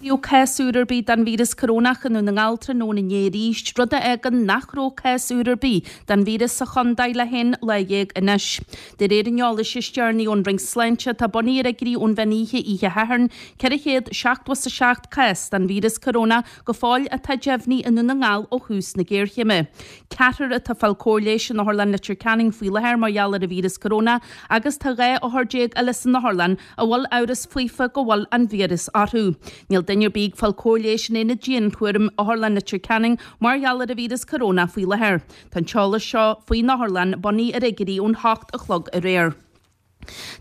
Níl cás úr ar bith den víreas corónach i nDún na nGall tráthnóna inné arís, rud a fhágann nach raibh cás úr ar bith den víreas sa chontae le haon lá dhéag anois. De réir an eolais is deireanaí ón Roinn Sláinte, atá bunaithe ar fhigiúirí ón mheán oíche oíche Shathairn, 477 cás den víreas corónach go fóill atá deimhnithe i Ndún na nGall ó thús na géarchéime. Ceathrar atá ag fáil cóir leighis in Otharlann Leitir Ceanainn faoi láthair mar gheall ar an víreas corónach agus tá 12 othar eile san otharlann a bhfuil amhras faofa go bhfuil an víreas orthu. Níl duine ar bith ag fáil cóir leighis in aonad dianchúraim Otharlann Leitir Ceanainn mar gheall ar an víreas corónach faoi láthair. Tá an t-eolas seo faoin otharlann bunaithe ar fhigiúirí ón 8 a chlog aréir.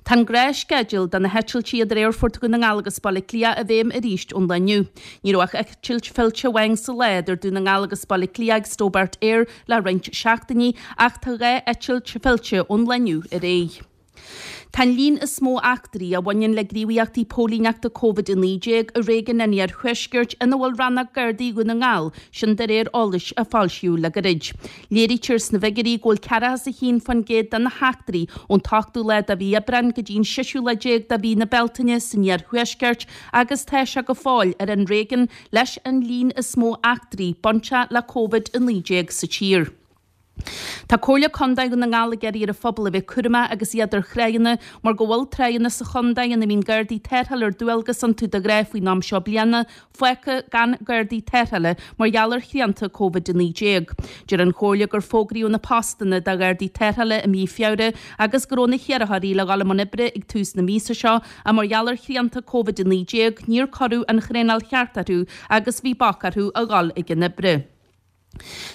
Tá an gnáthsceideal do na heitiltí idir Aerfort Dhún na nGall agus Baile Átha Cliath i bhfeidhm arís ón lá inniu. Ní raibh ach eitilt fillte amháin sa lá idir Dún na nGall agus Baile Átha Cliath ag Stobart Air le roinnt seachtainí ach tá 2 eitilt fillte ón lá inniu ar aghaidh. Tá an líon is mó eachtraí a bhaineann le gníomhaíochtaí póilíneachta Covid-19 i réigiún an Iarthuaiscirt ina bhfuil Rannóg Gardaí Dhún na nGall, sin de réir eolais a foilsíodh le gairid. Léirítear sna bhfigiúirí go bhfuil 41% de na heachtraí ón t-ochtú lá de mhí Aibreáin go dtí an seisiú lá déag de mhí na Bealtaine san Iarthuaisceart agus tá sé go fóill ar an réigiún leis an líon is mó eachtraí bainteach le Covid-19 sa tír. Tá Comhairle Contae Dhún na nGall ag iarraidh ar an phobal a bheith cúramach agus iad ar thráigheanna mar go bhfuil tráigheanna sa chontae ina mbíonn Gardaí tarrthála ar dualgas iontu de ghnáth faoin am seo bliana, fágtha gan Gardaí tarrthála mar gheall ar shrianta Covid-19. Deir an Chomhairle gur fógraíodh na postanna do Ghardaí tarrthála i mí Feabhra agus go raibh na hiarrthóirí le dhul i mbun oibre ag tús na míosa seo ach mar gheall ar shrianta Covid-19 níor cuireadh an thraenáil cheart orthu agus bhí bac orthu a dhul ag an oibre.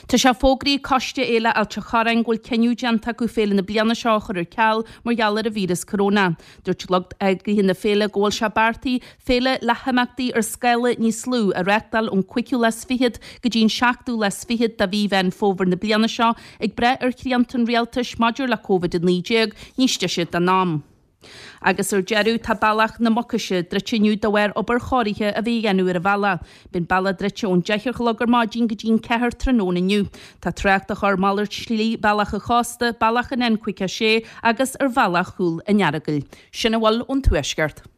Tá sé fógraithe ag Coiste Fhéile Ailt a' Chorráin go bhfuil cinneadh déanta acu féile na bliana seo a chur ar ceal mar gheall ar an víreas coróna. Dúirt lucht eagraithe na féile go bhfuil sé beartaithe féile le himeachtaí ar scála níos lú a reáchtáil ón cúigiú lá is fichead go dtí an seachtú lá is fichead de mhí Mheán Fómhair na bliana seo ag brath ar shrianta an rialtais maidir le Covid-19 níos deise den am. Agus ar deireadh, tá bealach na Mucaise druidte inniu de bharr obair chóirithe a bheith á dhéanamh ar an bhealach. Beidh an bealach druidte ón 10 a chlog ar maidin go dtí an 4 tráthnóna inniu. Tá trácht á chur malairt slí Bealach an Chósta, Bealach an N56 agus ar Bhealach Chúil an Earagail. Sin a bhfuil ón Tuaisceart.